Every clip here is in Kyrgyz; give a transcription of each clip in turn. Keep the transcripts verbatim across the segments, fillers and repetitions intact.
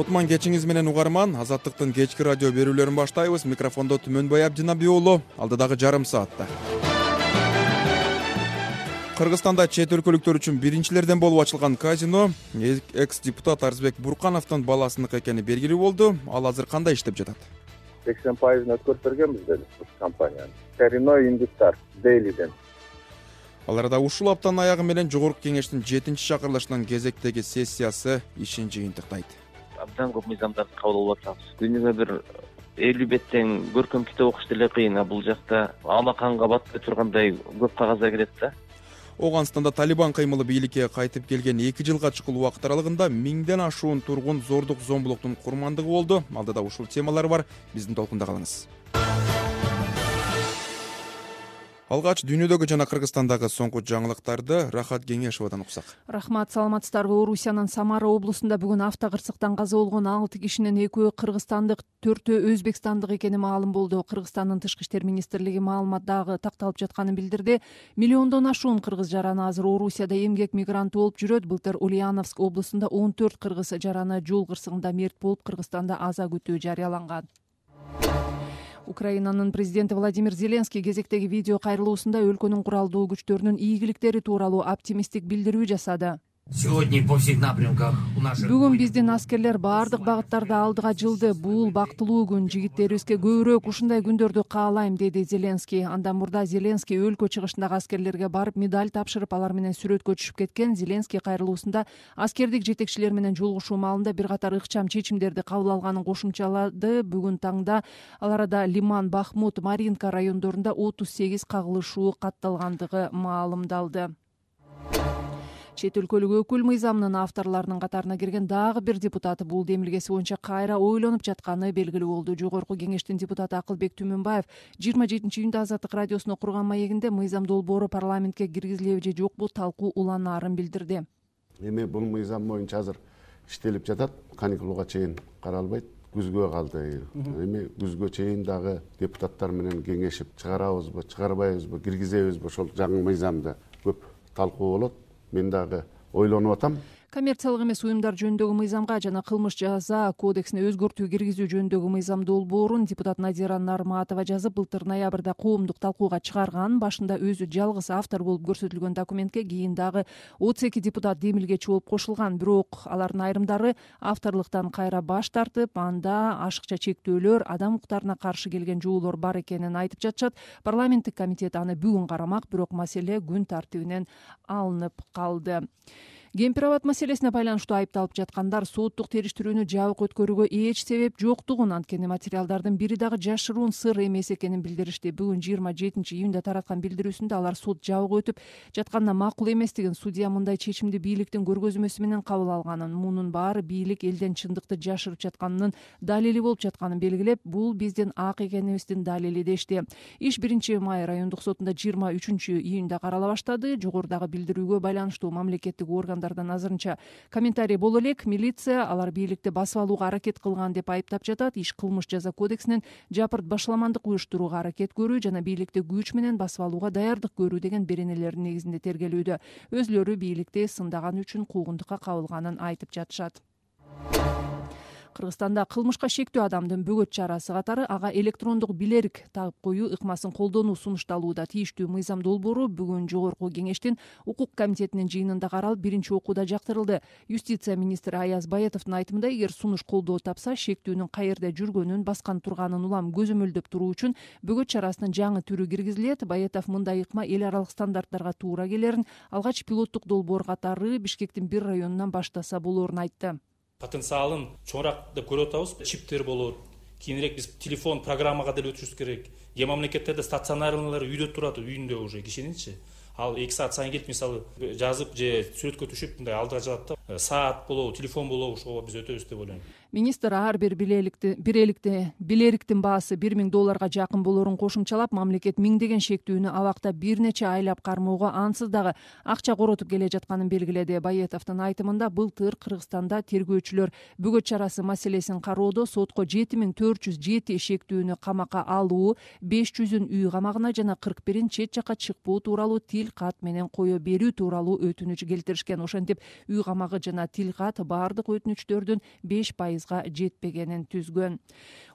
Кутман кечиңиз менен угарман. Азаттыктын кечки радио берүүлөрүн баштайбыз. Микрофондо Түмөнбай Абдинабий уулу. Алдыдагы жарым саатта Кыргызстанда чет өлкөлүктөр үчүн биринчилерден болуп ачылган казино экс-депутат Арзбек Буркановдун баласыныкы экени белгилүү болду. Ал азыр кандай иштеп жатат? сексен пайызын өткөрүп бергенбиз деди компанияны. Терино Индустар Дейлиден. Ал арада ушул аптанын аягы менен жогорку кеңештин жетинчи чакырылышынын кезектеги сессиясы ишин жыйынтыктайт. Абдан көп мыйзамдарды кабыл алып атабыз. Күнүгө бир элүү беттен көркөм китеп окуш деле кыйын, а бул жакта алмаканга батпай тургандай көп кагаздар келет да. Оганстанда Талибан кыймылы бийликке кайтып келген эки жылга чукул убакыт аралыгында миңден ашуун тургун зордук зомбулуктун курмандыгы болду. Алдыда ушул темалар бар. Биздин толкунда калыңыз. Алгач дүйнөдөгү жана Кыргызстандагы соңку жаңылыктарды Рахат Кеңешовадан уксак. Рахмат, саламатсыздарбы. Орусиянын Самара облусунда бүгүн автокырсыктан каза болгон алты кишинин экөө кыргызстандык, төртөө өзбекстандык экени маалым болду. Кыргызстандын тышкы иштер министрлиги маалыматтагы такталып жатканын билдирди. Миллиондон ашуун кыргыз жараны азыр Орусияда эмгек мигранты болуп жүрөт. Былтыр Ульяновск облусунда он төрт кыргыз жараны жол кырсыгында мерт болуп, Кыргызстанда аза күтүү жарыяланган. Украинанын президенти Владимир Зеленский кезектеги видео кайрылуусунда өлкөнүн куралдуу күчтөрүнүн ийгиликтери тууралуу оптимисттик билдирүү жасады. Бүгүн биздин аскерлер баардык багыттарда алдыга жылды. Бул бактылуу күн. Жигиттерибизге көбүрөөк ушундай күндөрдү каалайм, деди Зеленский. Андан мурда Зеленский өлкө чыгышындагы аскерлерге барып медаль тапшырып, алар менен сүрөткө түшүп кеткен. Зеленский кайрылуусунда аскердик жетекчилер менен жолугушуу маалында бир катар ыкчам чечимдерди кабыл алганын кошумчалады. Бүгүн таңда ал арада Лиман, Бахмут, Маринка райондорунда отуз сегиз кагылышуу катталгандыгы маалымдалды. Чет өлкөлүк өкүл мыйзамынын авторлорунун катарына кирген дагы бир депутат бул демилгеси боюнча кайра ойлонуп жатканы белгилүү болду. Жогорку кеңештин депутаты Акылбек Түмөнбаев жыйырма жетинчи июнда Азаттык радиосуна курган маегинде мыйзам долбоору парламентке киргизилеби же жокпу талкуу уланаарын билдирди. Эми бул мыйзам боюнча азыр иштелип жатат, каникулга чейин каралбайт. Күзгө калды. Эми күзгө чейин дагы депутаттар менен кеңешип чыгарабызбы, чыгарбайбызбы, киргизебизби, ошол жаңы мыйзамда көп талкуу болот. Мен дагы ойлонуп атам. Коммерциялык эмес уюмдар жөнүндөгү мыйзамга жана кылмыш жаза кодексине өзгөртүү киргизүү жөнүндөгү мыйзам долбоорун депутат Надира Нарматова жазып, былтыр ноябрда коомдук талкууга чыгарган. Башында өзү жалгыз автор болуп көрсөтүлгөн документке кийин дагы отуз эки депутат демилгечи болуп кошулган. Бирок алардын айрымдары авторлуктан кайра баш тартып, анда ашыкча чектөөлөр, адам укуктарына каршы келген жоолор бар экенин айтып жатышат. Парламенттик комитет аны бүгүн карамак, бирок маселе күн тартибинен алынып калды. Кемпир-абад маселесине байланыштуу айыпталып жаткандар соттук териштирүүнү жабык өткөрүүгө эч себеп жоктугун, анткени материалдардын бири дагы жашыруун сыр эмес экенин билдиришти. Бүгүн жыйырма жетинчи июнда тараткан билдирүүсүндө алар сот жабык өтүп жатканына макул эместигин, судья мындай чечимди бийликтин көргөзмөсү менен кабыл алганын, мунун баары бийлик элден чындыкты жашырып жатканынын далили болуп жатканын белгилеп, бул биздин ак экенибиздин далили дешти. Иш биринчи май райондук сотунда жыйырма үчүнчү июнда карала баштады. Жогорудагы билдирүүгө байланыштуу мамлекеттик орган азырынча комментарий боло элек. Милиция алар бийликти басып алууга аракет кылган деп айыптап жатат. Иш кылмыш жаза кодексинен жапырт башаламандык уюштурууга аракет көрүү жана бийликти күч менен басып алууга даярдык көрүү деген беренелердин негизинде тергелүүдө. Өзүлөрү бийликти сындаган үчүн куугунтукка кабылганын айтып жатышат. Кыргызстанда кылмышка шектүү адамдын бөгөт чарасы катары ага электрондук билерик тагып коюу ыкмасын колдонуу сунушталууда. Тийиштүү мыйзам долбоору бүгүн жогорку кеңештин укук комитетинин жыйынында каралып, биринчи окууда жактырылды. Юстиция министри Аяз Баятовдун айтымында, эгер сунуш колдоо тапса, шектүүнүн каерде жүргөнүн, баскан турганын улам көзөмөлдөп туруу үчүн бөгөт чарасынын жаңы түрү киргизилет. Баятов мындай ыкма эл аралык стандарттарга туура келерин, алгач пилоттук долбоор катары Бишкектин бир районунан баштаса болоорун айтты. Потенциалын чоңураак деп көрүп атабыз. Чиптер болот. Кийинирээк биз телефон программага деле өтүшүбүз керек. Кээ мамлекеттерде стационарлар үйдө турат, үйүндө уже кишининчи. Ал эки саат сайын келип, мисалы, жазып же сүрөткө түшүп, мындай алдыга жатат да. Саат болобу, телефон болобу, ошого биз өтөбүз деп ойлойм. Министр ар бир билеликти биреликти билериктин баасы бир миң долларга жакын болоорун кошумчалап, мамлекет миңдеген шектүүнү абакта бир нече айлап кармоого ансыз дагы акча коротуп келе жатканын белгиледи. Баятовдун айтымында, былтыр Кыргызстанда тергөөчүлөр бөгөт чарасы маселесин кароодо сотко жети миң төрт жүз жети шектүүнү камакка алуу, беш жүзүн үй камагына жана кырк бирин чет жакка чыкпоо тууралуу тил кат менен кое берүү тууралуу өтүнүч келтиришкен. Ошентип үй камагы жана тил кат баардык өтүнүчтөрдүн беш пайыз пайызга жетпегенин түзгөн.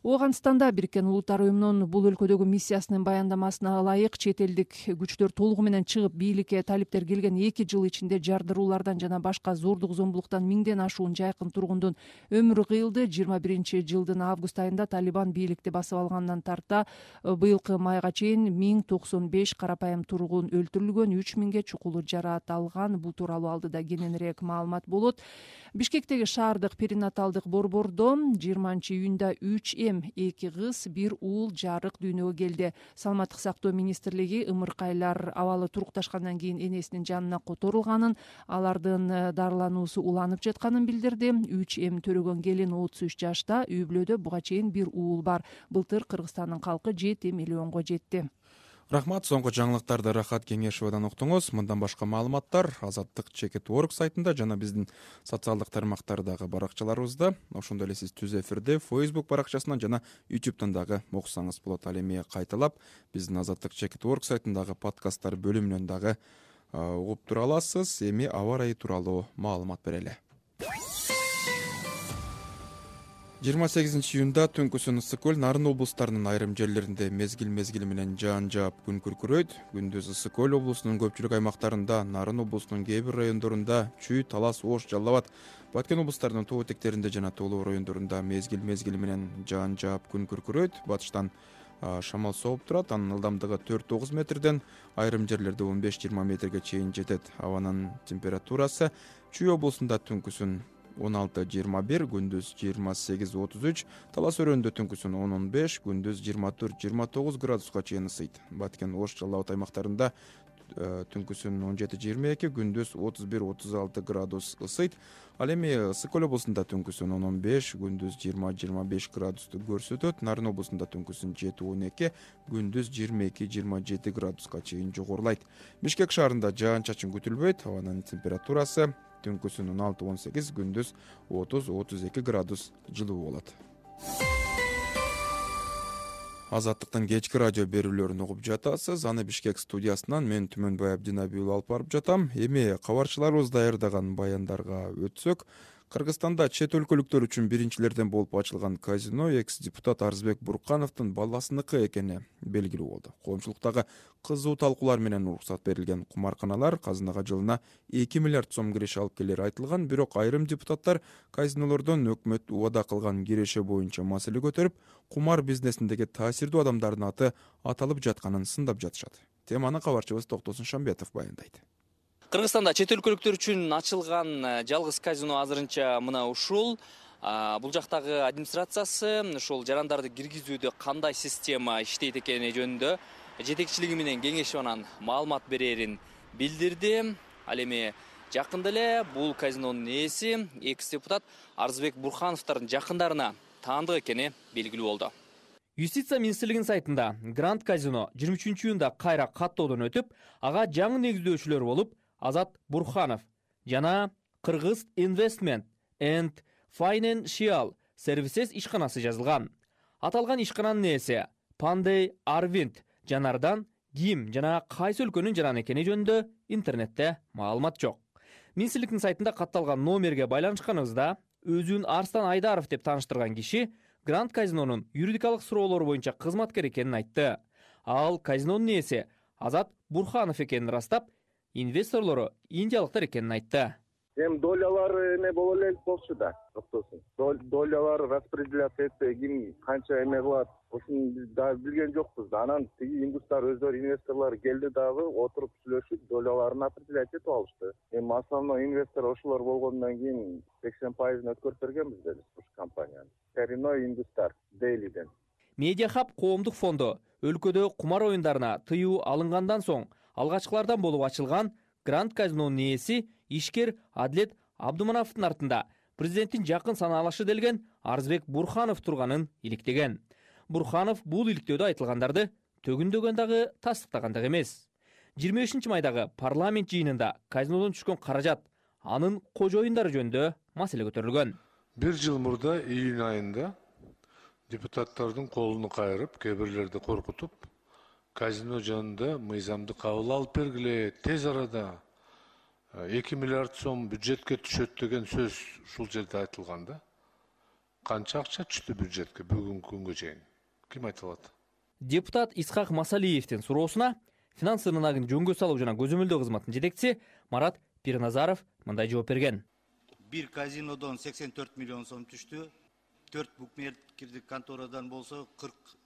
Ооганстанда Бириккен Улуттар уюмунун бул өлкөдөгү миссиясынын баяндамасына ылайык чет элдик күчтөр толугу менен чыгып бийликке талиптер келген эки жыл ичинде жардыруулардан жана башка зордук зомбулуктан миңден ашуун жайкын тургундун өмүрү кыйылды. жыйырма биринчи жылдын август айында Талибан бийликти басып алгандан тарта быйылкы майга чейин миң токсон беш карапайым тургун өлтүрүлгөн, үч миңге чукулу жараат алган. Бул тууралуу алдыда кененирээк маалымат болот. Бишкектеги шаардык перинаталдык борбордо жыйырманчы июнда үч эм, эки кыз, бир уул жарык дүйнөгө келди. Саламаттык сактоо министрлиги ымыркайлар абалы турукташкандан кийин энесинин жанына которулганын, алардын дарылануусу уланып жатканын билдирди. үч эм төрөгөн келин отуз үч жашта, үй бүлөдө буга чейин бир уул бар. Былтыр Кыргызстандын калкы жети миллионго жетти. Рахмат. Соңку жаңылыктарды Рахат Кеңешовадан уктуңуз. Мындан башка маалыматтар азаттык чекит точка орг сайтында жана биздин социалдык тармактардагы баракчаларыбызда. Ошондой эле сиз түз эфирде Facebook баракчасынан жана YouTube'дан дагы окусаңыз болот. Ал эми кайталап биздин азаттык чекит точка орг сайтындагы подкасттар бөлүмүнөн дагы угуп тура аласыз. Эми аба ырайы тууралуу маалымат берели. жыйырма сегизинчи июнда Түнкүсүн, Ысык көл, Нарын облустарынын айрым жерлеринде мезгил мезгили менен жаан жаап күн күркүрөйт. Күндүз Ысык көл облусунун көпчүлүк аймактарында, Нарын облусунун кээ бир райондорунда Чүй, Талас, Ош, Жалал Абад, Баткен облустарынын тоо этектеринде жана тоолуу райондорунда мезгил мезгили менен жаан жаап күн күркүрөйт. Батыштан шамал сооп турат. Анын ылдамдыгы төрт тогуз метрден айрым жерлерде он беш жыйырма метрге чейин жетет. Абанын температурасы Чүй облусунда түнкүсүн он алты жыйырма бир, күндүз жыйырма сегиз отуз үч, Талас өрөөнүндө түнкүсүн он он беш, күндүз жыйырма төрт жыйырма тогуз градуска чейин ысыйт. Баткен, Ош, Жалал Абад аймактарында түнкүсүн он жети жыйырма эки, күндүз отуз бир отуз алты градус ысыйт. Ал эми Ысык көл облусунда түнкүсүн он он беш, күндүз жыйырма жыйырма беш градусту көрсөтөт. Нарын облусунда түнкүсүн жети он эки, күндүз жыйырма эки жыйырма жети градуска чейин жогорулайт. Бишкек шаарында жаан-чачын күтүлбөйт. Абанын температурасы түнкүсүн он алты он сегиз, күндүз отуз отуз эки градус жылуу болот. Азаттыктын кечки радио берүүлөрүн угуп жатасыз. Аны Бишкек студиясынан мен Түмөнбай Абдинабиев алып барып жатам. Эми кабарчыларыбыз даярдаган баяндарга өтсөк, Кыргызстанда чет өлкөлүктөр үчүн биринчилерден болуп ачылган казино экс-депутат Арзбек Буркановдун баласыныкы экени белгилүү болду. Коомчулуктагы кызуу талкуулар менен уруксат берилген кумарканалар казынага жылына эки миллиард сом киреше алып келери айтылган, бирок айрым депутаттар казинолордон өкмөт убада кылган киреше боюнча маселе көтөрүп, кумар бизнесиндеги таасирдүү адамдардын аты аталып жатканын сындап жатышат. Теманы кабарчыбыз Токтосун Шамбетов баяндайт. Кыргызстанда чет өлкөлүктөр үчүн ачылган жалгыз казино азырынча мына ушул. Бул жактагы администрациясы ушул жарандарды киргизүүдө кандай система иштейт экени жөнүндө жетекчилиги менен кеңешип анан маалымат берерин билдирди. Ал эми жакында эле бул казинонун ээси экс-депутат Арзбек Бурхановдун жакындарына таандык экени белгилүү болду. Юстиция министрлигинин сайтында Гранд казино жыйырма үчүнчү июнда кайра каттоодон өтүп, ага жаңы негиздөөчүлөр болуп Азат Бурханов жана Кыргыз Investment and Financial Services ишканасы жазылган. Аталган ишкананын ээси Пандей Арвинд жанардан ким жана кайсы өлкөнүн жараны экени жөнүндө интернетте маалымат жок. Министрликтин сайтында катталган номерге байланышканыбызда өзүн Арстан Айдаров деп тааныштырган киши Гранд казинонун юридикалык суроолору боюнча кызматкер экенин айтты. Ал казинонун ээси Азат Бурханов экенин ырастап, инвесторлору индиялыктар экенин айтты. Эми долялар эме боло элек болчу да, токтосун. Долялар распределяция этсе, ким канча эме кылат, ошону биз дагы билген жокпуз да. Анан тиги индустар өздөрү инвесторлор келди дагы отуруп сүйлөшүп, доляларын определять этип алышты. Эми основной инвестор ошолор болгондон кийин сексен пайызын өткөрүп бергенбиз да ушу компанияны. Коренной индустар Дейлиден. Медиахаб коомдук фонду өлкөдө кумар оюндарына тыюу алынгандан соң алгачкылардан болуп ачылган Гранд казинонун ээси ишкер Адлет Абдумановдун артында президенттин жакын санаалашы делген Арзбек Бурханов турганын иликтеген. Бурханов бул иликтөөдө айтылгандарды төгүндөгөн дагы тастыктаган дагы эмес. жыйырма бешинчи майдагы парламент жыйынында казинодон түшкөн каражат, анын кожоюндары жөнүндө маселе көтөрүлгөн. Бир жыл мурда июнь айында депутаттардын колуну кайрып, кээ бирлерди коркутуп, казино жөнүндө мыйзамды кабыл алып бергиле, тез арада эки миллиард сом бюджетке түшөт деген сөз ушул жерде айтылган да. канча акча түштү бюджетке бүгүнкү күнгө чейин? Ким айта алат? Депутат Исхак Масалиевдин суроосуна финанс ынанагын жөнгө салуу жана көзөмөлдөө кызматынын жетекчиси Марат Пирназаров мындай жооп берген. Бир казинодон сексен төрт миллион сом түштү, төрт букмекерлик конторадан болсо кырк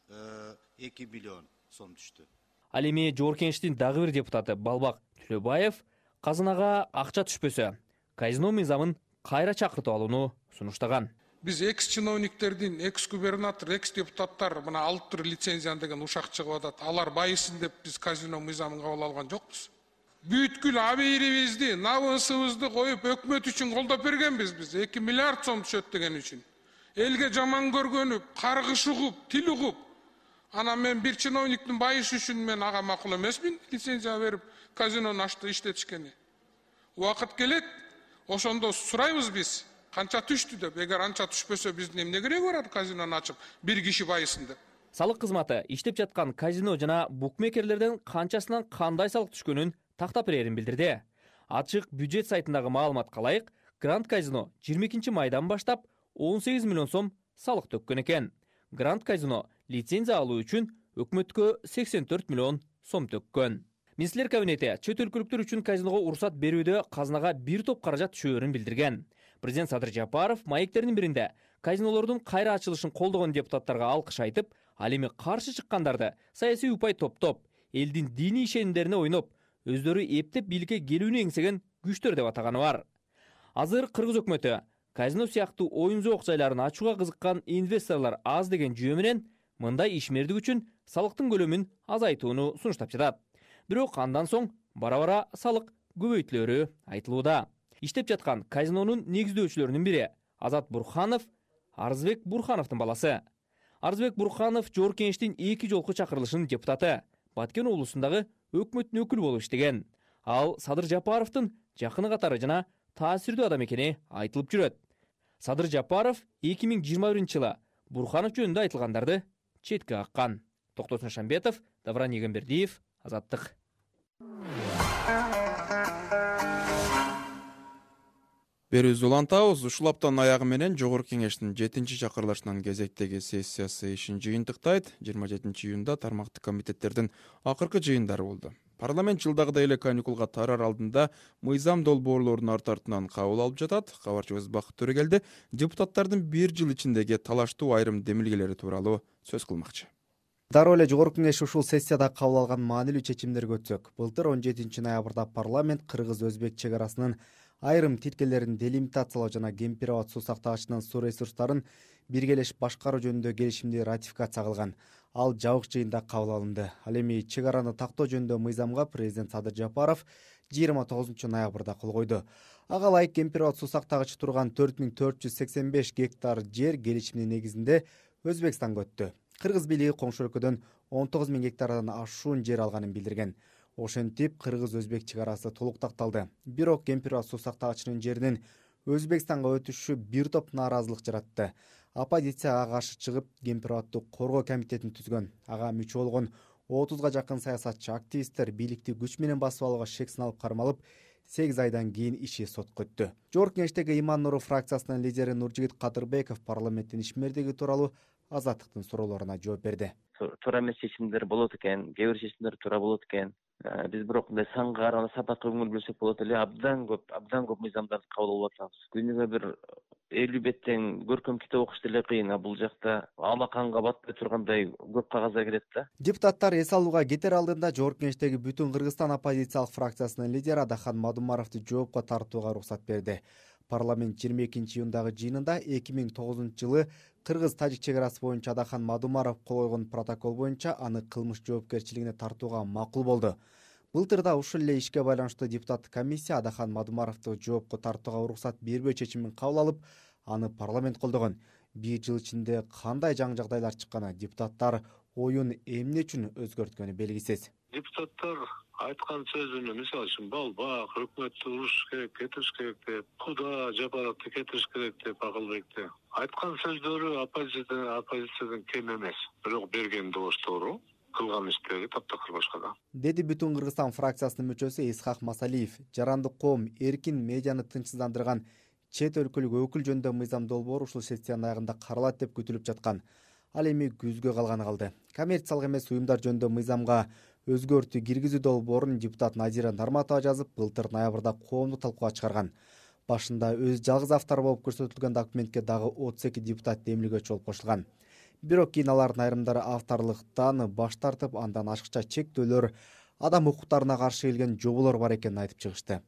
эки миллион сом түштү. Ал эми Жогорку Кеңештин дагы бир депутаты Балбак Түлөбаев казынага акча түшпөсө, казино мыйзамын кайра чакыртып алууну сунуштаган. Биз экс чиновниктердин, экс губернатор, экс депутаттар мына алып туруп лицензияны деген ушак чыгып атат. Алар байысын деп биз казино мыйзамын кабыл алган жокпуз. Бүткүл абийирибизди, набысыбызды коюп өкмөт үчүн колдоп бергенбиз биз. эки миллиард сом түшөт деген үчүн. Элге жаман көргөнүп, каргыш угуп, тил угуп, анан мен бир чиновниктин байышы үчүн мен ага макул эмесмин, лицензия берип казинону ачты иштетишкени. Убакыт келет, ошондо сурайбыз биз. Канча түштү деп, эгер анча түшпөсө биздин эмне кереги бар казинону ачып, бир киши байысын деп. Салык кызматы иштеп жаткан казино жана букмекерлерден канчасынан кандай салык түшкөнүн тактап берерин билдирди. Ачык бюджет сайтындагы маалыматка ылайык, Гранд казино жыйырма экинчи майдан баштап он сегиз миллион сом салык төккөн экен. Гранд казино лицензия алуу үчүн өкмөткө сексен төрт миллион сом төккөн. Министрлер кабинети чет өлкөлүктөр үчүн казиного уруксат берүүдө казынага бир топ каражат түшөөрүн билдирген. Президент Садыр Жапаров маектердин биринде казинолордун кайра ачылышын колдогон депутаттарга алкыш айтып, ал эми каршы чыккандарды саясий упай топтоп, элдин диний ишенимдерине ойноп, өздөрү эптеп бийликке келүүнү эңсеген күчтөр деп атаганы бар. Азыр Кыргыз өкмөтү казино сыяктуу оюн зоок жайларын ачууга кызыккан инвесторлор аз деген жүйө менен мындай ишмердик үчүн салыктын көлөмүн азайтууну сунуштап жатат. Бирок андан соң бара-бара салык көбөйтүлөрү айтылууда. Иштеп жаткан казинонун негиздөөчүлөрүнүн бири Азат Бурханов Арзбек Бурхановдун баласы. Арзбек Бурханов Жогорку Кеңештин эки жолку чакырылышынын депутаты, Баткен облусундагы өкмөттүн өкүлү болуп иштеген. Ал Садыр Жапаровдун жакыны катары жана таасирдүү адам экени айтылып жүрөт. Садыр Жапаров эки миң жыйырма биринчи жылы Бурханов жөнүндө айтылгандарды четке каккан. Токтосун Шамбетов, Давран Егембердиев, Азаттык. Берүүбүздү улантабыз. Ушул аптанын аягы менен Жогорку Кеңештин жетинчи чакырылышынын кезектеги сессиясы ишин жыйынтыктайт. жыйырма жетинчи июнда тармактык комитеттердин акыркы жыйындары болду. Парламент жылдагыдай эле каникулга тарар алдында мыйзам долбоорлорун арт артынан кабыл алып жатат. Кабарчыбыз Бакыт Төрөгелди депутаттардын бир жыл ичиндеги талаштуу айрым демилгелери тууралуу сөз кылмакчы. Дароо эле Жогорку Кеңеш ушул сессияда кабыл алган маанилүү чечимдерге өтсөк, былтыр он жетинчи ноябрда парламент кыргыз-өзбек чек арасынын айрым тилкелерин делимитациялоо жана Кемпир-Абад суу сактагычынын суу ресурстарын биргелешип башкаруу жөнүндө келишимди ратификация кылган. Ал жабык жыйында кабыл алынды. Ал эми чек араны тактоо жөнүндө мыйзамга президент Садыр Жапаров жыйырма тогузунчу ноябрда кол койду. Ага ылайык Кемпир-Абад суу сактагычы турган төрт миң төрт жүз сексен беш гектар жер келишимдин негизинде Өзбекстанга өттү. Кыргыз бийлиги коңшу өлкөдөн он тогуз миң гектардан ашуун жер алганын билдирген. Ошентип кыргыз-өзбек чек арасы толук такталды. Бирок Кемпир-Абад суу сактагычынын жеринин Өзбекстанга өтүшү бир топ нааразылык жаратты. Оппозицияга каршы чыгып, Кемпир-Абадты коргоо комитетин түзгөн. Ага мүчө болгон отузга жакын саясатчы, активисттер бийликти күч менен басып алууга шек сыналып кармалып, сегиз айдан кийин иши сотко өттү. Жогорку Кеңештеги Иман Нуров фракциясынын лидери Нуржигит Кадырбеков парламенттин ишмердиги тууралуу Азаттыктын суроолоруна жооп берди. Туура эмес чечимдер болот экен, кээ бир чечимдер туура болот экен. Биз бирок мындай санга караганда сапатка көңүл бөлсөк болот эле, абдан көп, абдан көп мыйзамдарды кабыл алып атабыз. Күнүгө бир элүү беттен көркөм китеп окуш деле кыйын, а бул жакта алмаканга батпай тургандай көп кагаздар келет да. Депутаттар эс алууга кетер алдында Жогорку Кеңештеги Бүтүн Кыргызстан оппозициялык фракциясынын лидери Адахан Мадумаровду жоопко тартууга уруксат берди. Парламент жыйырма экинчи июндагы жыйынында эки миң тогузунчу жылы Кыргыз-Тажик чек арасы боюнча Адахан Мадумаров кол койгон протокол боюнча аны кылмыш жоопкерчилигине тартууга макул болду. Былтыр да ушул эле ишке байланыштуу депутаттык комиссия Адахан Мадумаровду жоопко тартууга уруксат бербөө чечимин кабыл алып, аны парламент колдогон. Бир жыл ичинде кандай жаңы жагдайлар чыкканы, депутаттар оюн эмне үчүн өзгөрткөнү белгисиз. Депутаттар айткан сөзүнө, мисалы үчүн Балбак, өкмөттү урушуш керек, кетириш керек деп, Куда Жапаровду кетириш керек деп Акылбекти. Айткан сөздөрү оппозициядан оппозициядан кем эмес. Бирок берген добуш туура, кылган иштери таптакыр башкада. Деди Бүтүн Кыргызстан фракциясынын мүчөсү Исхак Масалиев. Жарандык коом эркин медианы тынчсыздандырган чет өлкөлүк өкүл жөнүндө мыйзам долбоору ушул сессиянын аягында каралат деп күтүлүп жаткан. Ал эми күзгө калганы калды. Коммерциялык эмес уюмдар жөнүндө мыйзамга өзгөртүү киргизүү долбоорун депутат Назира Нарматова жазып, былтыр ноябрда коомдук талкууга чыгарган. Башында өз жалгыз автору болуп көрсөтүлгөн документке дагы отуз эки депутат демилгөөчү болуп кошулган. Бирок кийин алардын айрымдары авторлуктан баш тартып, андан ашыкча чектөөлөр, адам укуктарына каршы келген жоболор бар экенин айтып чыгышты.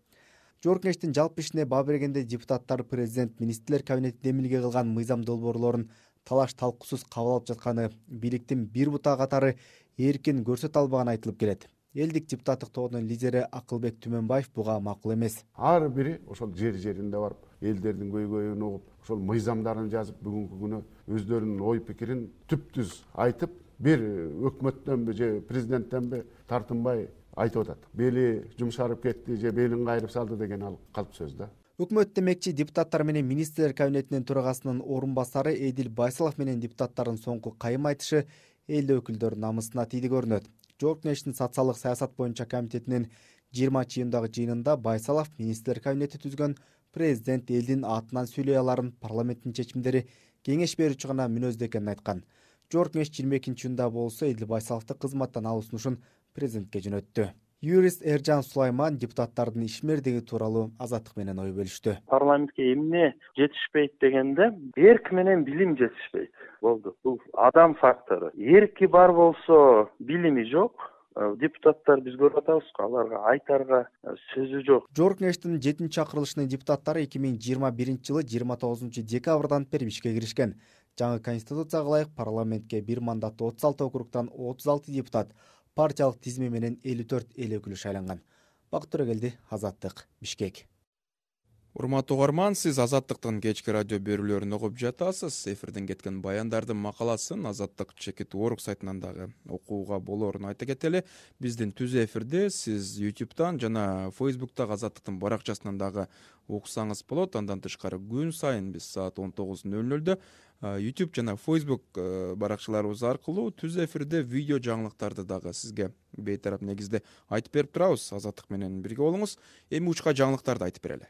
Жогорку Кеңештин жалпы ишине баа бергенде депутаттар президент министрлер кабинети демилге кылган мыйзам долбоорлорун талаш талкуусуз кабыл алып жатканы, бийликтин бир бутагы катары эркин көрсөтө албаганы айтылып келет. Элдик депутаттык тобунун лидери Акылбек Түмөнбаев буга макул эмес. Ар бири ошол жер жеринде барып, элдердин көйгөйүн угуп, ошол мыйзамдарын жазып, бүгүнкү күнү өздөрүнүн ой пикирин түптүз айтып, бир өкмөттөнбү же президенттенби тартынбай айтып атат. Бели жумшарып кетти же белин кайрып салды деген ал калп сөз да. Өкмөт демекчи депутаттар менен министрлер кабинетинин төрагасынын орун басары Эдил Байсалов менен депутаттардын соңку кайым айтышы эл өкүлдөрүнүн намысына тийди көрүнөт. Жогорку Кеңештин социалдык саясат боюнча комитетинин жыйырманчы июндагы жыйынында Байсалов министрлер кабинети түзгөн президент элдин атынан сүйлөй аларын, парламенттин чечимдери кеңеш берүүчү гана мүнөздө экенин айткан. Жогорку Кеңеш жыйырма экинчи июнда болсо Эдил Байсаловду кызматтан алуу сунушун президентке жөнөттү. Юрист Эржан Сулайман депутаттардын ишмердиги тууралуу Азаттык менен ой бөлүштү. Парламентке эмне жетишпейт дегенде, эрк менен билим жетишпейт. Болду. Бул адам фактору. Эрки бар болсо, билими жок. Депутаттар биз көрүп атабыз, аларга айтарга сөзү жок. Жогорку Кеңештин жетинчи чакырылышынын депутаттары эки миң жыйырма биринчи жылы жыйырма тогузунчу декабрдан бери ишке киришкен. Жаңы конституцияга ылайык парламентке бир мандатты отуз алты округтан отуз алты депутат, партиялык тизме менен элүү төрт эл өкүлү шайланган. Бакыт Төрөгелди, Азаттык, Бишкек. Урматтуу угарман, сиз Азаттыктын кечки радио берүүлөрүн угуп жатасыз. Эфирден кеткен баяндардын макаласын Азаттык чекит точка орг сайтынан дагы окууга болоорун айта кетели. Биздин түз эфирде сиз ютубтан жана фейсбуктагы Азаттыктын баракчасынан дагы уксаңыз болот. Андан тышкары күн сайын биз саат он тогуз нөл нөлдө YouTube жана Facebook баракчаларыбыз аркылуу түз эфирде видео жаңылыктарды дагы сизге бейтарап негизде айтып берип турабыз. Азаттык менен бирге болуңуз. Эми учка жаңылыктарды айтып берели.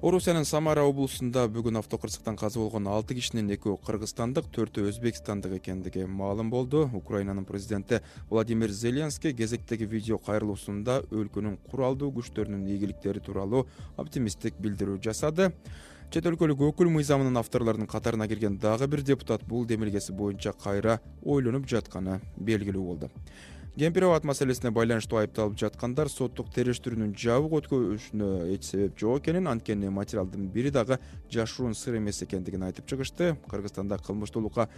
Орусиянын Самара облусунда бүгүн автокырсыктан каза болгон алты кишинин экөө кыргызстандык, төртөө өзбекстандык экендиги маалым болду. Украинанын президенти Владимир Зеленский кезектеги видео кайрылуусунда өлкөнүн куралдуу күчтөрүнүн ийгиликтери тууралуу оптимисттик билдирүү жасады. Чет өлкөлүк өкүл мыйзамынын авторлорунун катарына кирген дагы бир депутат бул демилгеси боюнча кайра ойлонуп жатканы белгилүү болду. Кемпир-абад маселесине байланыштуу айыпталып жаткандар соттук териштирүүнүн жабык өткөрүшүнө эч себеп жок экенин, анткени материалдын бири дагы жашыруун сыр эмес экендигин айтып чыгышты. Кыргызстанда кылмыштуулукка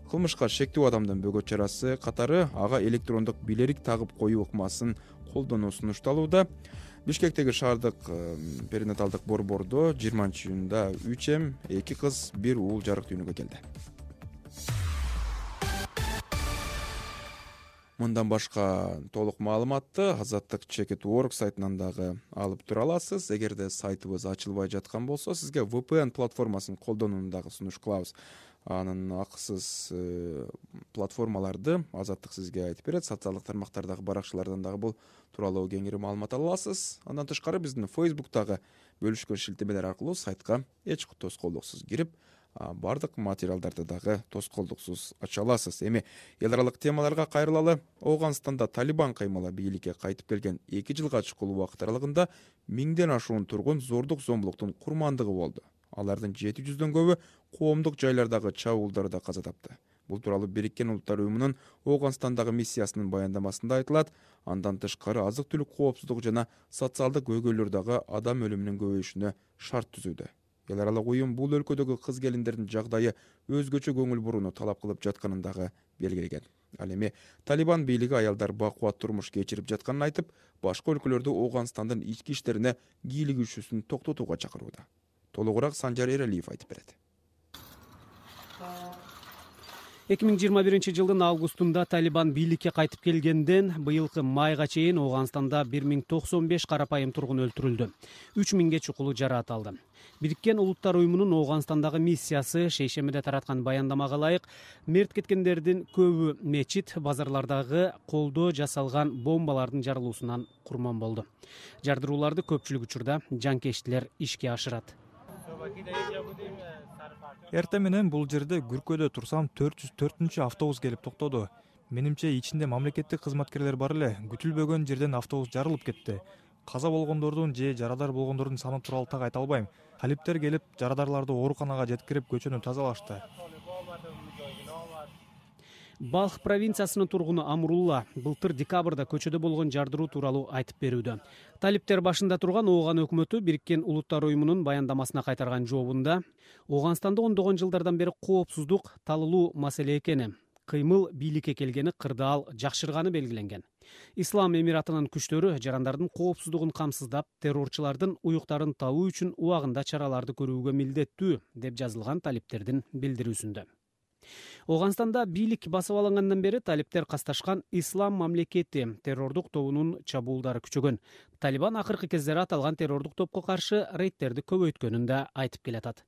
кылмышка шектүү адамдын бөгөт чарасы катары ага электрондук билерик тагып коюу ыкмасын колдонуу сунушталууда. Бишкектеги шаардык перинаталдык борбордо жыйырманчы июнда үч эм, эки кыз, бир уул жарык дүйнөгө келди. Мындан башка толук маалыматты Азаттык чекит точка орг сайтынан дагы алып тура аласыз. Эгерде сайтыбыз ачылбай жаткан болсо, сизге ви пи эн платформасын колдонууну дагы сунуш кылабыз. Анын акысыз платформаларды Азаттык сизге айтып берет. Социалдык тармактардагы баракчалардан дагы бул тууралуу кеңири маалымат ала аласыз. Андан тышкары биздин Facebook'тагы бөлүшкөн шилтемелер аркылуу сайтка эч тоскоолдуксуз кирип, бардык материалдарды дагы тоскоолдуксуз ача аласыз. Эми эл аралык темаларга кайрылалы. Ооганстанда Талибан каймала бийликке кайтып келген эки жылга чукул убакыт аралыгында миңден ашуун тургун зордук зомбулуктун курмандыгы болду. Алардын жети жүздөн көбү коомдук жайлардагы чабуулдарда каза тапты. Бул тууралуу Бириккен Улуттар уюмунун Ооганстандагы миссиясынын баяндамасында айтылат. Андан тышкары азык-түлүк коопсуздугу жана социалдык көйгөйлөр дагы адам өлүмүнүн көбөйүшүнө шарт түзүүдө. Эл аралык уюм бул өлкөдөгү кыз келиндердин жагдайы өзгөчө көңүл бурууну талап кылып жатканын дагы белгилеген. Ал эми Талибан бийлиги аялдар бакубат турмуш кечирип жатканын айтып, башка өлкөлөрдө Ооганстандын ички иштерине кийлигишүүсүн токтотууга чакырууда. Толугураак Санжар Эралиев айтып берет. эки миң жыйырма биринчи жылдын августунда Талибан бийликке кайтып келгенден быйылкы майга чейин Ооганстанда бир миң токсон беш карапайым тургун өлтүрүлдү. үч миңге чукулу жараат алды. Бириккен Улуттар уюмунун Ооганстандагы миссиясы шейшембиде тараткан баяндамага ылайык мерт кеткендердин көбү мечит, базарлардагы колдо жасалган бомбалардын жарылуусунан курман болду. Жардырууларды көпчүлүк учурда жанкечтилер ишке ашырат. Эртең менен бул жерде Күркөдө турсам төрт жүз төртүнчү автобус келип токтоду. Менимче ичинде мамлекеттик кызматкерлер бар эле. Күтүлбөгөн жерден автобус жарылып кетти. Каза болгондордун же жарадар болгондордун саны тууралуу так айта албайм. Талиптер келип, жарадарларды ооруканага жеткирип көчөнү тазалашты. Балх провинциясынын тургуну Амрулла былтыр декабрда көчөдө болгон жардыруу тууралуу айтып берүүдө. Талиптер башында турган Ооган өкмөтү Бириккен Улуттар уюмунун баяндамасына кайтарган жообунда Ооганстанда ондогон жылдардан бери коопсуздук талылуу маселе экени, кыймыл бийликке келгени кырдаал жакшырганы белгиленген. Ислам Эмиратынын күчтөрү жарандардын коопсуздугун камсыздап, террорчулардын уюктарын табуу үчүн убагында чараларды көрүүгө милдеттүү, деп жазылган талиптердин билдирүүсүндө. Ооганстанда бийлик басып алынгандан бери талиптер касташкан Ислам мамлекети террордук тобунун чабуулдары күчөгөн. Талибан акыркы кездери аталган террордук топко каршы рейдтерди көбөйткөнүн да айтып келатат.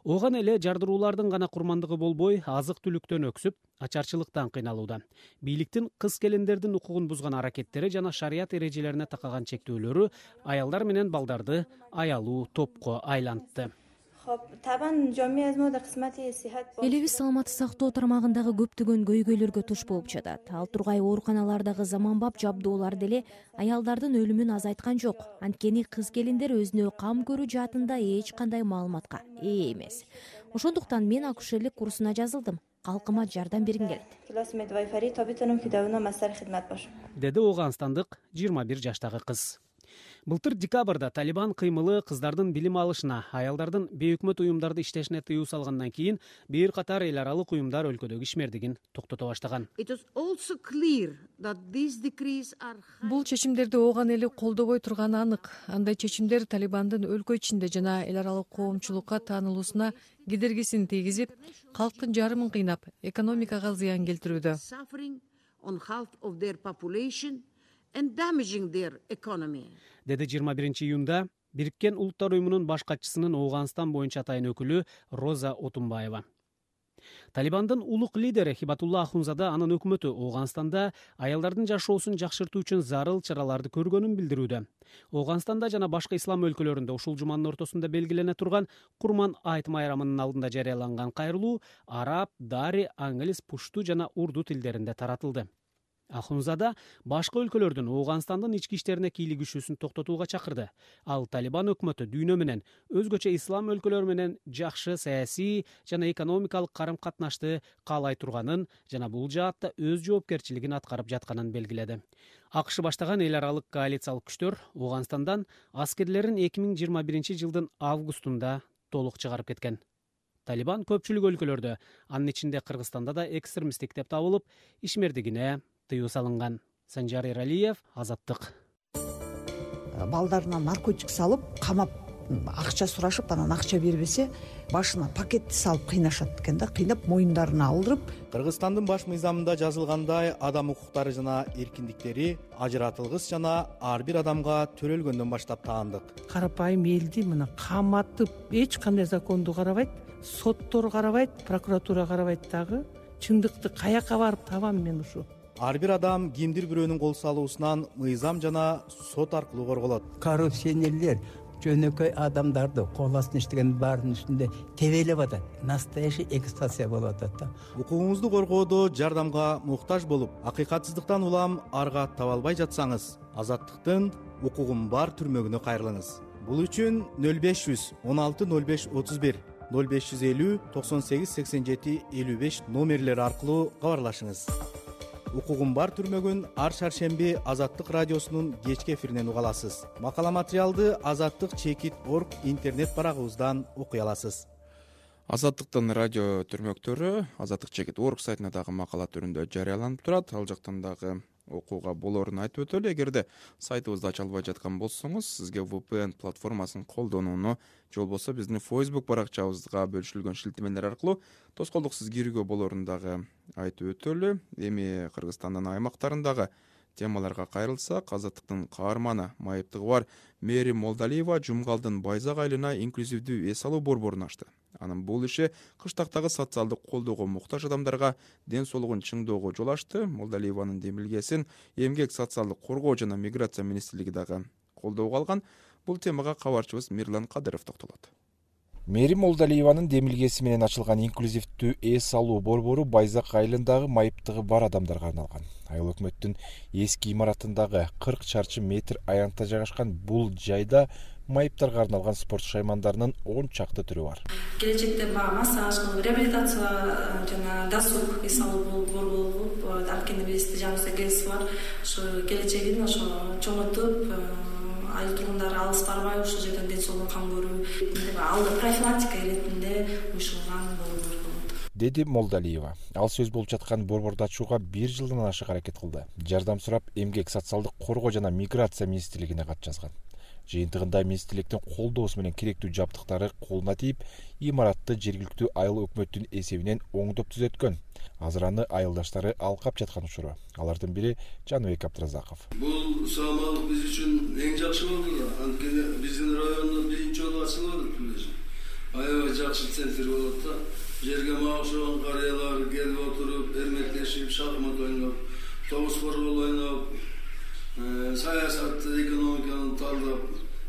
Ооган эле жардыруулардын гана курмандыгы болбой, азык-түлүктөн өксүп, ачарчылыктан кыйналууда. Бийликтин кыз-келиндердин укугун бузган аракеттери жана шарият эрежелерине такаган чектөөлөрү аялдар менен балдарды аялуу топко айлантты. Элибиз саламатты сактоо тармагындагы көптөгөн көйгөйлөргө туш болуп жатат. Ал тургай ооруканалардагы заманбап жабдуулар деле аялдардын өлүмүн азайткан жок. Анткени кыз-келиндер өзүнө кам көрүү жаатында эч кандай маалыматка ээ эмес. Ошондуктан мен акушерлик курсуна жазылдым. Калкыма жардам бергим келет. Деди Ооганстандык жыйырма бир жаштагы кыз. Былтыр декабрда Талибан кыймылы кыздардын билим алышына, аялдардын бейөкмөт уюмдарды иштешине тыюу салгандан кийин бир катар эл аралык уюмдар өлкөдөгү ишмердигин токтото баштаган. Бул чечимдерди Ооган эли колдобой турганы анык. Андай чечимдер Талибандын өлкө ичинде жана эл аралык коомчулукка таанылуусуна кедергисин тийгизип, калктын жарымын кыйнап, экономикага зыян келтирүүдө. Деди жыйырма биринчи июнда Бириккен Улуттар уюмунун баш катчысынын Ооганстан боюнча атайын өкүлү Роза Отунбаева. Талибандын улук лидери Хибатулла Ахунзада анын өкмөтү Ооганстанда аялдардын жашоосун жакшыртуу үчүн зарыл чараларды көргөнүн билдирүүдө. Ооганстанда жана башка ислам өлкөлөрүндө ушул жуманын ортосунда белгилене турган Курман айт майрамынын алдында жарыяланган кайрылуу араб, дари, англис, пушту жана урду тилдеринде таратылды. Ахунзада башка өлкөлөрдүн Ооганстандын ички иштерине кийлик күшүүсүн токтотууга чакырды. Ал Талибан өкмөтү дүйнө менен, өзгөчө ислам өлкөлөрү менен жакшы саясий жана экономикалык карым-катнашты каалай турганын жана бул жаатта өз жоопкерчилигин аткарып жатканын белгиледи. АКШ баштаган эл аралык коалициялык күчтөр Ооганстандан аскерлерин эки миң жыйырма биринчи жылдын августунда толук чыгарып кеткен. Талибан көпчүлүк өлкөлөрдө, анын ичинде Кыргызстанда да экстремисттик деп табылып, ишмердигине тыюу салынган. Санжар Эралиев, Азаттык. Балдарына наркотик салып, камап, акча сурашып, анан акча бербесе, башына пакетти салып кыйнашат экен да, кыйнап моюндарына алдырып. Кыргызстандын баш мыйзамында жазылгандай, адам укуктары жана эркиндиктери ажыратылгыс жана ар бир адамга төрөлгөндөн баштап таандык. Карапайым элди мына каматып, эч кандай законду карабайт, соттор карабайт, прокуратура карабайт дагы. Чындыкты каяка барып табам мен ушу? Ар бир адам кимдир бирөөнүн кол салуусунан мыйзам жана сот аркылуу корголот. Коррупционерлер жөнөкөй адамдарды кол астына иштеген баарынын үстүндө тебелеп атат. Настоящий эксплуатация болуп атат да. Укугуңузду коргоодо жардамга муктаж болуп, акыйкатсыздыктан улам арга таба албай жатсаңыз, Азаттыктын укугум бар түрмөгүнө кайрылыңыз. Бул үчүн нөл беш жүз он алты нөл беш отуз бир, нөл беш жүз элүү токсон сегиз сексен жети элүү беш номерлери аркылуу кабарлашыңыз. Укугум бар түрмөгүн ар шаршемби Азаттык радиосунун кечки эфиринен уга аласыз. Макала материалды азаттык чекит точка орг интернет барагыбыздан окуй аласыз. Азаттыктын радио түрмөктөрү Азаттык чекит точка орг сайтына дагы макала түрүндө жарыяланып турат. Ал жактан дагы окууга болоорун айтып өтөлү. Эгерде сайтыбызды ача албай жаткан болсоңуз, сизге ви пи эн платформасын колдонууну же болбосо биздин Facebook баракчабызга бөлүшүлгөн шилтемелер аркылуу тоскоолдуксуз кирүүгө болоорун дагы айтып өтөлү. Эми Кыргызстандын аймактарындагы темаларга кайрылсак, Азаттыктын каарманы, майыптыгы бар Мээрим Молдалиева Жумгалдын Байзак айылына инклюзивдүү эс алуу борборун ачты. Анын бул иши кыштактагы социалдык колдоого муктаж адамдарга ден соолугун чыңдоого жол ачты. Молдалиеванын демилгесин Эмгек социалдык коргоо жана миграция министрлиги дагы колдоого алган. Бул темага кабарчыбыз Мирлан Кадыров токтолот. Мээрим Молдалиеванын демилгеси менен ачылган инклюзивдүү эс алуу борбору Байзак айылындагы майыптыгы бар адамдарга арналган. Айыл өкмөттүн эски имаратындагы кырк чарчы метр аянтта жайгашкан бул жайда майыптарга арналган спорт шаймандарынын он чакты түрү бар. Келечекте баягы массаж, реабилитация жана досуг эс алуу борбору болуп, анткени бизде жаңыбызда кез бар. Ошо келечегин ошо чоңойтуп, айыл тургундары алыс барбай ушул жерден ден соолугун кам көрүү, алды профилактика иретинде уюштурулган борбор болот, деди Молдалиева. Ал сөз болуп жаткан борборду ачууга бир жылдан ашык аракет кылды. Жардам сурап Эмгек социалдык коргоо жана миграция министрлигине кат жазган. Жыйынтыгында министрликтин колдоосу менен керектүү жабдыктары колуна тийип, имаратты жергиликтүү айыл өкмөттүн эсебинен оңдоп түзөткөн. Азыр аны айылдаштары алкап жаткан учуру. Алардын бири Жаныбек Абдыразаков. Бул саламаттык биз үчүн эң жакшы болду да. Анткени биздин райондо биринчи жолу ачылып атат. Аябай жакшы центр болот да. Жерге мага окшогон карыялар келип отуруп, эрмектешип, шахмат ойноп, тогуз футбол ойноп, саясатты, экономиканы талдап,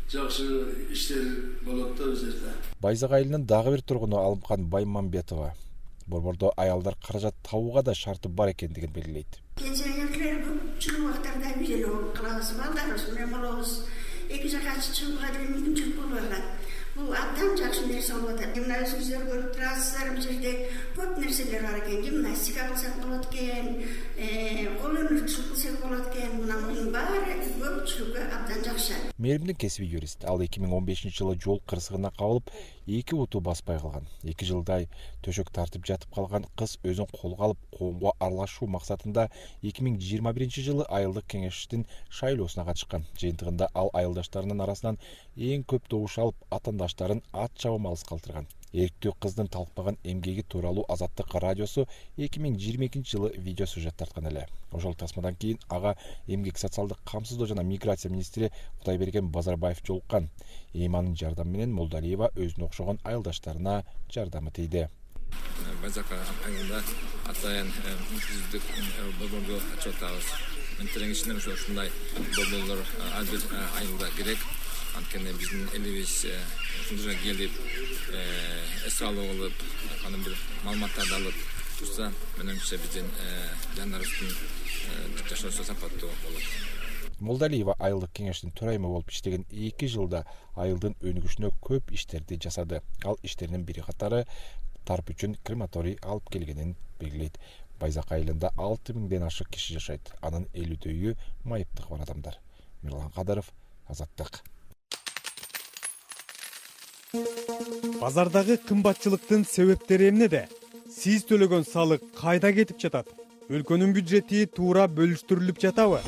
жакшы иштер болот да бул жерде. Байзак айылынын дагы бир тургуну Алымкан Баймамбетова борбордо аялдар каражат табууга да шарты бар экендигин белгилейт. Пенсионерлер чыгуу убактарда бирөө кылабыз, балдарыбыз менен болобуз. Эки жака чыгууга деле мүмкүнчүлүк болбой калат. Бул абдан жакшы нерсе болуп атат. Мына өзүңүздөр көрүп турасыздар, бул жерде көп нерселер бар экен. Гимнастика кылсак болот экен, кол өнөрчүлүк кылсак болот экен. Мына мунун баары көпчүлүккө абдан жакшы. Мээримдин кесиби юрист. Ал эки миң он бешинчи жылы жол кырсыгына кабылып, эки уту баспай калган. эки жылдай төшөк тартып жатып калган кыз өзүн колго алып, коомго аралашуу максатында эки миң жыйырма биринчи жылы айылдык кеңештин шайлоосуна катышкан. Жыйынтыгында ал айылдаштарынын арасынан эң көп добуш алып, атаандаштарын ат чабым алыс калтырган. Эрктүү кыздын талкпаган эмгеги тууралуу Азаттык радиосу эки миң жыйырма экинчи жылы видео сюжет тарткан эле. Ошол тасмадан кийин ага Эмгек социалдык камсыздоо жана миграция министри Кудайберген Базарбаев жолуккан. Эми анын жардамы менен Молдалиева өзүнө окшогон айылдаштарына жардамы тийди. Байзак айылында атайын инклюзивдик борборду ачып атабыз. Мен тилеңишинен ушундай борборлор ар бир айылда керек. Анткени биздин элибиз ушул жерге келип, эс алуу кылып, анын бир маалыматтарды алып турса, менимче биздин жандарыбыздын жашоосу сапаттуу болот. Молдалиева айылдык кеңештин төрайымы болуп иштеген эки жылда айылдын өнүгүшүнө көп иштерди жасады. Ал иштеринин бири катары тарп үчүн крематорий алып келгенин белгилейт. Байзак айылында алты миңден ашык киши жашайт. Анын элүүдөйү майыптыгы бар адамдар. Мирлан Кадыров, Азаттык. Базардагы кымбатчылыктын себептери эмнеде? Сиз төлөгөн салык кайда кетип жатат? Өлкөнүн бюджети туура бөлүштүрүлүп жатабы?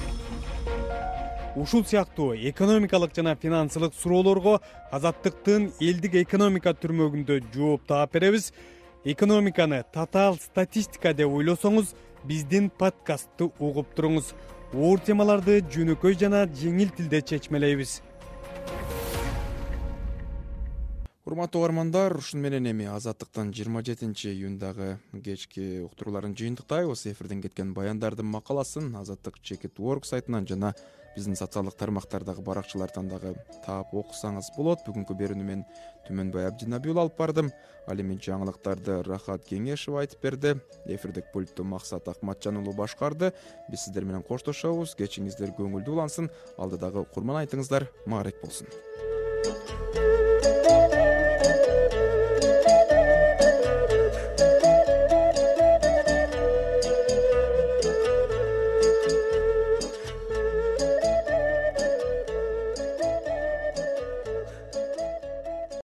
Ушул сыяктуу экономикалык жана финансылык суроолорго Азаттыктын элдик экономика түрмөгүндө жооп таап беребиз. Экономиканы татаал статистика деп ойлосоңуз, биздин подкастты угуп туруңуз. Оор темаларды жөнөкөй жана жеңил тилде чечмелейбиз. Урматтуу угармандар, ушун менен эми Азаттыктын жыйырма жетинчи июндагы кечки уктурууларын жыйынтыктайбыз. Эфирден кеткен баяндардын макаласын Азаттык чекит точка орг сайтынан жана биздин социалдык тармактардагы баракчалардан дагы таап окусаңыз болот. Бүгүнкү берүүнү мен Түмөнбай Абдинабиул алып бардым. Ал эми жаңылыктарды Рахат Кеңешев айтып берди. Эфирдик пультту Максат Акматжан уулу башкарды. Биз сиздер менен коштошобуз. Кечиңиздер көңүлдүү улансын. Алдыдагы курман айтыңыздар маарек болсун.